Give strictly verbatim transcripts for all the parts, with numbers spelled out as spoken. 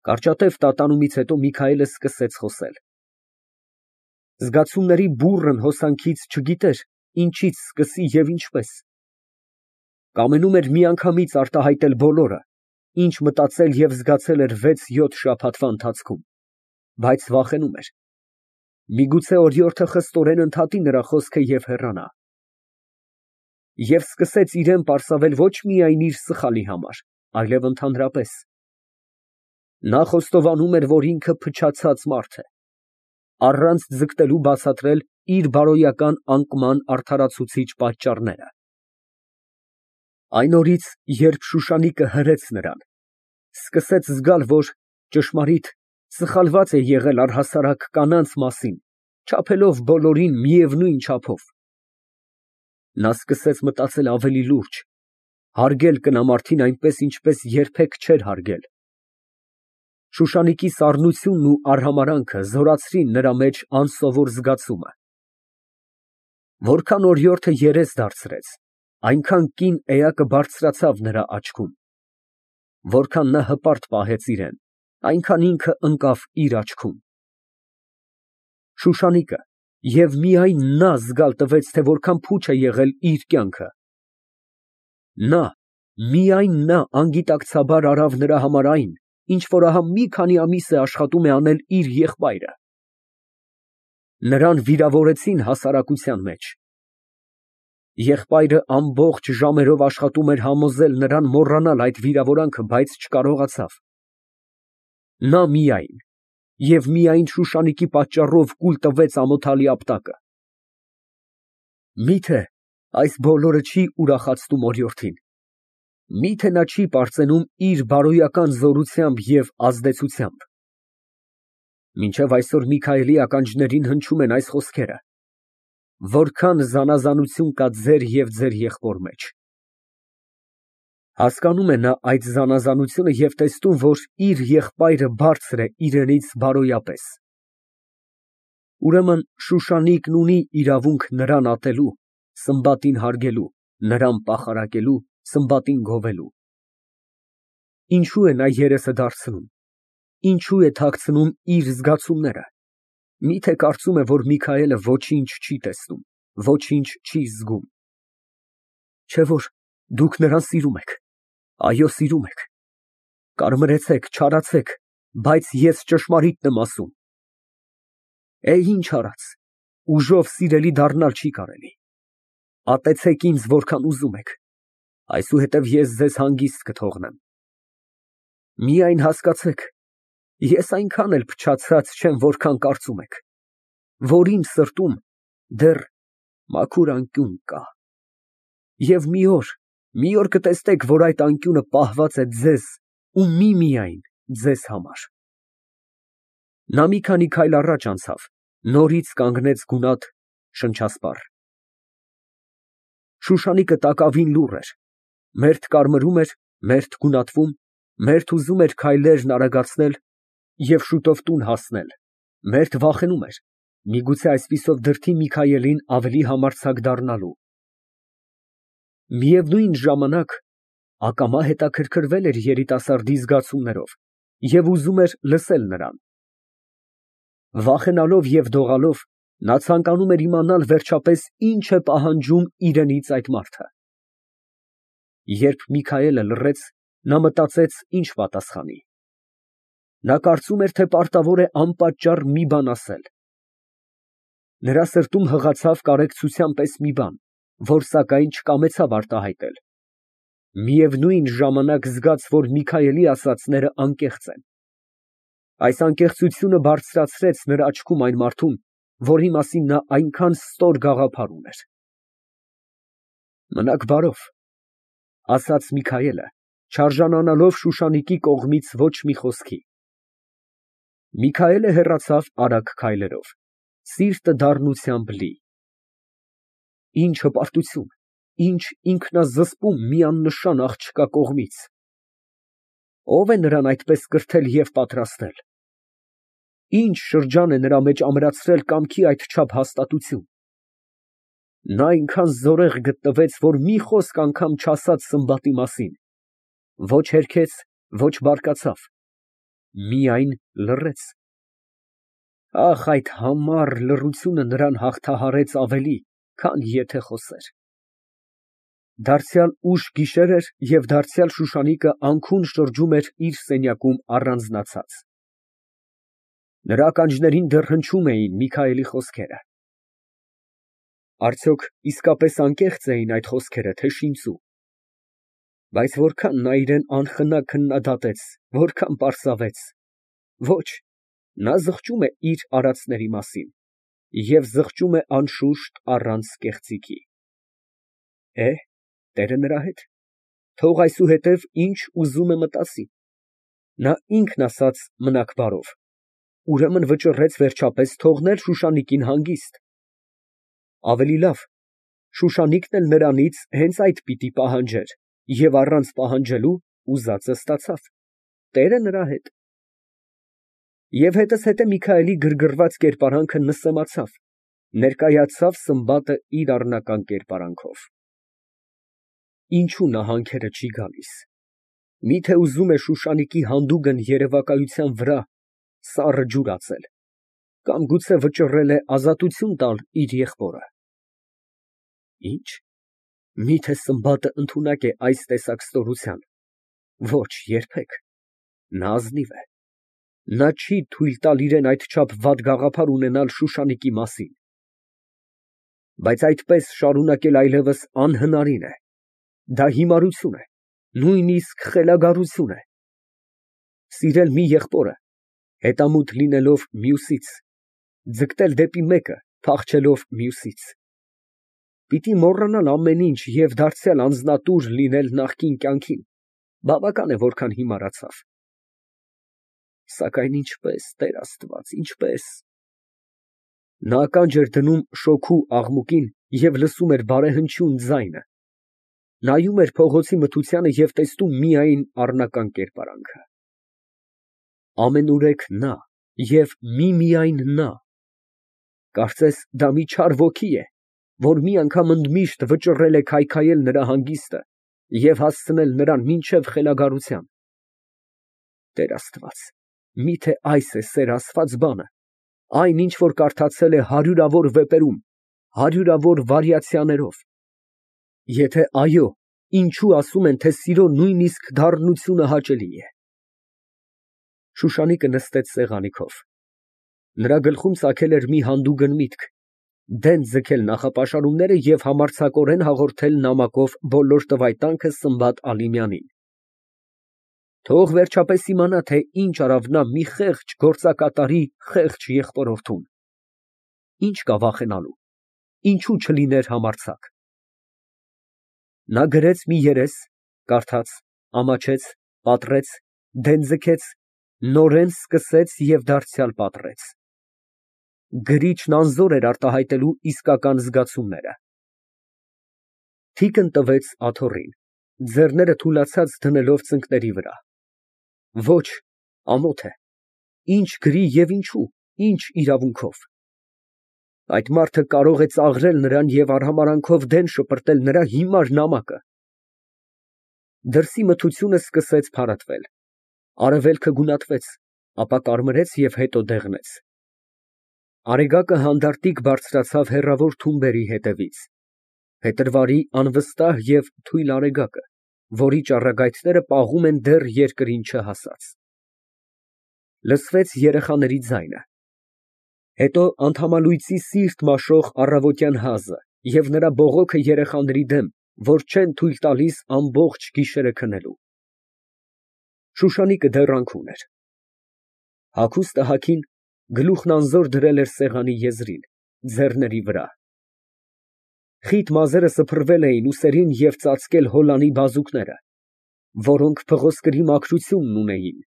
Կարճատև տատանումից հետո Միքայելը սկսեց խոսել։ Զգացումների բուռն հոսանքից չգիտեր ինչից սկսի և ինչպես։ Կամենում էր միանգամից արտահայտել բոլորը, ինչ մտածել և զգացել էր վեց֊յոթ շաբաթվա ընթացքում, բայց վախենում էր։ Միգուցե օրիորդը խստորեն ընդհատի նրա խոսքը և հեռանա։ Եվ սկսեց իրան պարսավել ոչ միայն իր սխալի համար, այլև ընդհանրապես։ Նա խոստովանում էր, որ ինքը փչացած մարդ է, առանց ձգտելու բացատրել իր բարոյական անկման արդարացուցիչ պատճառները։ Այն օրից, երբ Շուշանիկը հրեց նրան, սկսեց զգալ, որ ճշմարիտ սխալված է եղել առհասարակ կանանց մասին, չափելով բոլորին միևնույն չափով։ Նա սկսեց մտածել ավելի լուրջ, հարգել կնամարդին այնպես, ինչպես երբեք չէր հարգել։ Շուշանիկի սառնությունն ու արհամարհանքը զորացրին նրա մեջ անսովոր զգացումը։ Որքան օրիորդը երես դարձրեց, այնքան կին էակը բարձրացավ նրա աչքում։ Որքան նա հպարտ պահեց իրան, այնքան ինքը ընկավ իր աչքում։ Շուշանիկը և միայն նա զգալ տվեց, թե որքան փուչ է եղել իր կյանքը։ Նա, միայն նա անգիտակցաբար արավ նրա համար այն, ինչ որ ահա մի քանի ամիս է աշխատում է անել իր եղբայրը։ Նրան վիրավորեցին հասարակության մեջ։ Եղբայրը ամբողջ ժամերով աշխատում էր համոզել նրան մոռանալ այդ վիրավորանքը, բայց չկարողացավ։ Նա միայն և միայն Շուշանիկի պատճառով կուլ տվեց ամոթալի ապտակը։ Մի՞թե այս բոլորը չի ուրախացնում օրիորդին։ Մի՞թե նա չի պարծենում իր բարոյական զորությամբ և ազդեցությամբ։ Մինչև այսօր Միքայելի ականջներին հնչում են այս խոսքերը. «Որքան զանազանություն կա ձեր և ձեր եղբոր մեջ»։ Հասկանում է նա այդ զանազանությունը և տեսնում, որ իր եղբայրը բարձր է իրենից բարոյապես։ Ուրեմն Շուշանիկն ունի իրավունք նրան ատելու, սմբատին հարգելու, նրան պախարակելու, սմբատին գովելու։ Ինչո՞ւ է նա երեսը դարձնում, ինչո՞ւ է թաքցնում իր զգացումները։ Մի՞թե կարծում է, որ Միքայելը ոչինչ չի տեսնում, ոչինչ չի զգում։ Չէ՞ որ դուք նրան սիրում եք, այո, սիրում եք։ Կարմրեցեք, չարացեք, բայց ես ճշմարիտն եմ ասում։ Է, ինչ արած, ուժով սիրելի դառնալ չի կարելի։ Ատեցեք ինձ որքան ուզում եք, այսուհետև ես ձեզ հանգիստ կթողնեմ։ Միայն հասկացեք, ես այնքան էլ փչացած չեմ, որքան կարծում եք, որ իմ սրտում դեռ մաքուր անկյուն կա։ Եվ մի օր, մի օր կտեսնեք, որ այդ անկյունը պահված է ձեզ ու միմիայն ձեզ համար։ Նա մի քանի քայլ առաջ անցավ, նորից կանգնեց գունատ, շնչասպառ։ Շուշանիկը տակավին լուռ էր, մերթ կարմրում էր, մերթ գունատվում, մերթ ուզում էր քայլերն արագացնել և շուտով տուն հասնել, մերթ վախենում էր, միգուցե այսպիսով դրդի Միքայելին ավելի համարձակ դառնալու։ Միևնույն ժամանակ ակամա հետաքրքրվել էր երիտասարդի զգացումներով և ուզում էր լսել նրան։ Վախենալով և դողալով, նա ցանկանում էր իմանալ վերջապես ինչ է պահանջում իրենից այդ մարդը։ Երբ Միքայելը լռեց, նա մտածեց ինչ պատասխանի։ Նա կարծում էր, թե պարտավոր է անպատճառ մի բան ասել։ Նրա սրտում հղացավ կարեկցության պես մի բան, որ սակայն չկամեցավ արտահայտել։ Միևնույն ժամանակ զգաց, որ Միքայելի ասածները անկեղծ են։ Այս անկեղծությունը բարձրացրեց նրա աչքում այն մարդուն, որի մասին նա այնքան ստոր գաղափար ուներ։ Մնաք բարով, ֊ ասաց Միքայելը, չարժանանալով Շուշանիկի կողմից ոչ մի խոսքի։ Միքայելը հեռացավ արագ քայլերով, սիրտը դառնությամբ լի։ Ինչ հպարտություն, ինչ ինքնազսպում մի աննշան աղջկա կողմից։ Ո՞վ է նրան այդպես կրթել և պատրաստել։ Ինչ շրջան է նրա մեջ ամրացրել կամքի այդչափ հաստատություն։ Նա այնքան զորեղ գտնվեց, որ մի խոսք անգամ չասաց սմբատի մասին, ոչ հերքեց, ոչ բարկացավ։ միայն լռեց։ Ախ, այդ համառ լռությունը նրան հաղթահարեց ավելի, քան եթե խոսեր։ Դարձյալ ուշ գիշեր էր և դարձյալ Շուշանիկը անքուն շրջում էր իր սենյակում առանձնացած։ Նրա ականջներին դեռ հնչում էին Միքայելի խոսքերը։ Արդյոք իսկապես անկեղծ էին այդ խոսքերը, թե շինծու։ Բայց որքան նա իրան անխնա քննադատեց, որքան պարսավեց, ոչ, նա զղջում է իր արածների մասին և զղջում է անշուշտ առանց կեղծիքի։ Է, Տերը նրա հետ, թող այսուհետև ինչ ուզում է մտածի։ Նա ինքն ասաց մնաք բարով, ուրեմն վճռեց վերջապես թողնել Շուշանիկին հանգիստ։ Ավելի լավ, Շուշանիկն էլ նրանից հենց այդ պիտի պահանջեր և առանց պահանջելու ուզածը ստացավ, Տերը նրա հետ։ Եվ հետզհետե Միքայելի գրգռված կերպարանքը նսեմացավ, ներկայացավ Սմբատը իր առնական կերպարանքով։ Ինչո՞ւ նա հանքերը չի գալիս։ Մի՞թե ուզում է Շուշանիկի հանդուգն երևակայության վրա սառը ջուր ածել, կամ գուցե վճռել է ազատություն տալ իր եղբորը։ Ի՞նչ, մի՞թե Սմբատը ընդունակ է այս տեսակ ստորության։ Ոչ, երբեք, նա ազնիվ է։ Նա չի թույլ տալ իրան այդչափ վատ գաղափար ունենալ Շուշանիկի մասին։ Բայց այդպես շարունակել այլևս անհնարին է։ Դա հիմարություն է, նույնիսկ խելագարություն է։ Սիրել մի եղբորը, հետամուտ լինելով մյուսից, ձգտել դեպի մեկը, փախչելով մյուսից։ Պիտի մոռանալ ամեն ինչ և դարձյալ անձնատուր լինել նախկին կյանքին, բավական է որքան հիմարացավ։ Սակայն ինչպե՞ս, Տեր Աստված, ինչպե՞ս։ Նա ականջ էր դնում շոգու աղմուկին և լսում էր բարեհնչյուն ձայնը, նայում էր փողոցի մթությանը և տեսնում միայն առնական կերպարանքը։ Ամենուրեք նա և միմիայն նա։ Կարծես դա մի չար ոգի է, որ մի անգամ ընդմիշտ վճռել է քայքայել նրա հանգիստը և հասցնել նրան մինչև խելագարության։ Տեր Աստված, միթե այս է սեր ասված բանը, այն, ինչ որ կարդացել է հարյուրավոր վեպերում, հարյուրավոր վարիացիաներով։ Եթե այո, ինչո՞ւ ասում են, թե սիրո նույնիսկ դառնությունը հաճելի է։ Շուշանիկը նստեց սեղանի քով։ Նրա գլխում ծագել էր մի հանդուգն միտք, դեն ձգել նախապաշարումները և համարձակորեն հաղորդել նամակով բոլոր տվայտանքը Սմբատ Ալիմյանին։ Թող վերջապես իմանա, թե ինչ արավ նա մի խեղճ գործակատարի խեղճ եղբորորդուն։ Ինչ կա վախենալու, ինչու չլիներ համարձակ։ Նա գրեց մի երես, կարդաց, ամաչեց, պատռեց, դեն ձգեց, նորեն սկսեց և դարձյալ պատռեց։ Գրիչն անզոր էր արտահայտելու իսկական զգացումները։ Թիկն տվեց աթոռին, ձեռները թուլացած դնելով ծնկների վրա։ Ոչ, ամոթ է։ Ինչ գրի և ինչու, ինչ իրավունքով։ Այդ մարդը կարող է ծաղրել նրան և արհամարհանքով դեն շպրտել նրա հիմար նամակը։ Դրսի մթությունը սկսեց փարատվել, արևելքը գունատվեց, ապա կարմրեց և հետո դեղնեց։ Արեգակը հանդարտիկ բարձրացավ հեռավոր թումբերի հետևից, փետրվարի անվստահ և թույլ արեգակը, որի ճառագայթները պաղում են դեռ երկրին չհասած։ Լսվեց երեխաների ձայնը, հետո անդամալույծի սիրտ մաշող առավոտյան հազը և նրա բողոքը երեխաների դեմ, որ չեն թույլ տալիս ամբողջ գիշերը քնելու։ Շուշանիկը դեռ անքուն էր։ Հագուստը հագին, գլուխն անզոր դրել էր սեղանի եզրին, ձեռների վրա։ Խիտ մազերը սփռվել էին ուսերին և ծածկել հոլանի բազուկները, որոնք փղոսկրի մաքրությունն ունեին։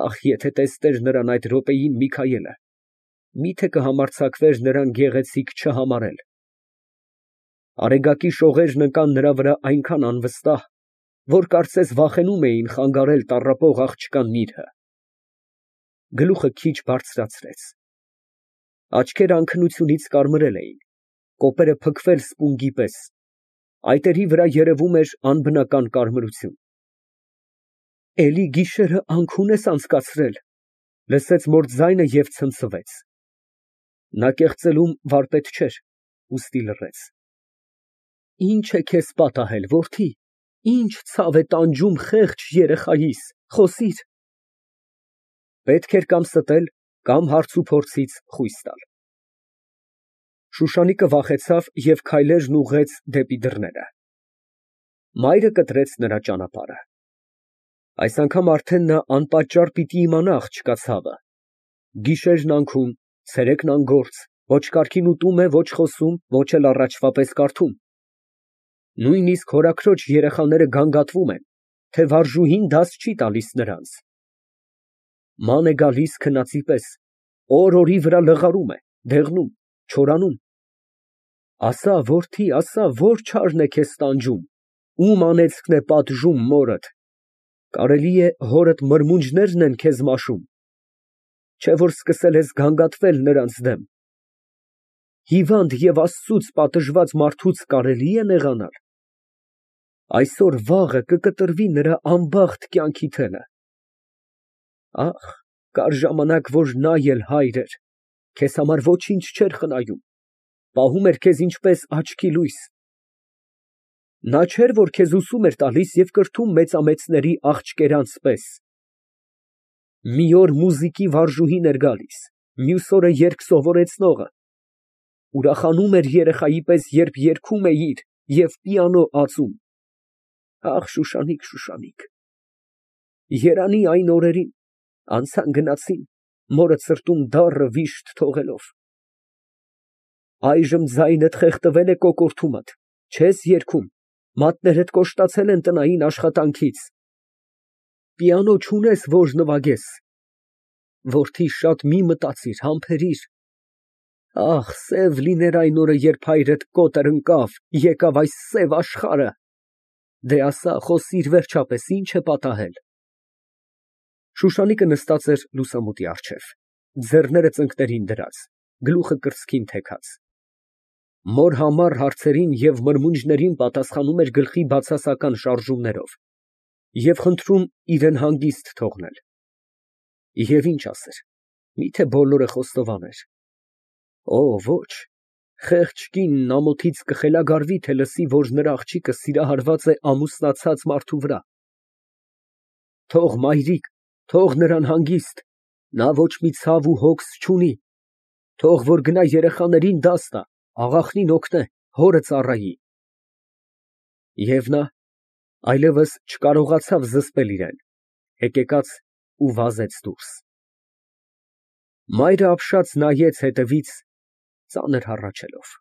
Ախ, եթե տեսներ նրան այդ րոպեին Միքայելը, մի՞թե կհամարձակվեր նրան գեղեցիկ չհամարել։ Արեգակի շողերն ընկան նրա վրա այնքան անվստահ, որ կարծես վախենում էին խանգարել տառապող աղջկա նիրհը։ Գլուխը քիչ բարձրացրեց։ Աչքերը անքնությունից կարմրել էին, կոպերը փքվել սպունգի պես, այտերի վրա երևում էր անբնական կարմրություն։ Էլի գիշերը անքուն ես անցկացրել, լսեց մոր ձայնը և ցնցվեց։ Նա կեղծելուն վարպետ չէր, ուստի լռեց։ Ինչ է քեզ պատահել, որդի, ինչ ցավ է տանջում խեղճ երեխայիս, խոսիր։ Պետք էր կամ ստել, կամ հարցուփորձից խույս տալ։ Շուշանիկը վախեցավ և քայլերն ուղղեց դեպի դռները։ Մայրը կտրեց նրա ճանապարհը։ Այս անգամ արդեն նա անպատճառ պիտի իմանա աղջկա ցավը։ Գիշերն անքուն, ցերեկն անգործ, ոչ կարգին ուտում է, ոչ խոսում, ոչ էլ առաջվա պես կարդում։ Նույնիսկ հորաքրոջ երեխաները գանգատվում են, թե վարժուհին դաս չի տալիս նրանց։ Ման է գալիս քնածի պես, օր֊օրի վրա լղարում է, դեղնում, չորանում։ Ասա, որդի, ասա, որ չարն է քեզ տանջում, ում անեծքն է պատժում մորդ։ Կարելի է հորդ մրմունջներն են քեզ մաշում, չէ որ սկսել ես գանգատվել նրանց դեմ։ Հիվանդ և Աստծուց պատժված մարդուց կարելի է նեղանալ։ Այսօր֊վաղը կկտրվի նրա անբախտ կյանքի թելը։ Ախ, կար ժամանակ, որ նա էլ հայր էր, քեզ համար ոչինչ չէր խնայում, պահում էր քեզ ինչպես աչքի լույս։ Նա չէր, որ քեզ ուսում էր տալիս և կրթում մեծամեծների աղջկերանց պես։ Մի օր մուզիկի վարժուհին էր գալիս, մյուս օրը երգ սովորեցնողը, ուրախանում էր երեխայի պես, երբ երգում էիր և պիանո ածում։ Ախ, Շուշանիկ, Շուշանիկ, երանի այն օրերին, անցան գնացին, մորդ սրտում դառը վիշտ թողելով։ Այժմ ձայնդ խեղդվել է կոկորդումդ, չես երգում, մատներդ կոշտացել են տնային աշխատանքից։ Պիանո չունես, որ նվագես։ Որդի, շատ մի մտածիր, համբերիր։ Ախ, սև լիներ այն օրը, երբ հայրդ կոտր ընկավ, եկավ այս սև աշխարհը։ Դե ասա, խոսիր վերջապես, ինչ է պատահել։ Շուշանիկը նստած էր լուսամուտի առջև, ձեռները ծնկներին դրած, գլուխը կրծքին թեքած։ Մոր համառ հարցերին և մրմունջներին պատասխանում էր գլխի բացասական շարժումներով և խնդրում իրան հանգիստ թողնել։ Եվ ինչ ասեր, միթե բոլորը խոստովաներ։ Օ, ոչ, խեղճ կինն ամոթից կխելագարվի, թե լսի, որ նրա աղջիկը սիրահարված է ամուսնացած մարդու վրա։ Թող մայրիկ, թող նրան հանգիստ, նա ոչ մի ցավ ու հոգս չունի, թող որ գնա երեխաներին դաս տա, աղախնին օգնե, հորը ծառայի։ Եվ նա այլևս չկարողացավ զսպել իրան, հեկեկաց ու վազեց դուրս։ Մայրը ապշած նայեց հետևից, ծանր հառաչելով։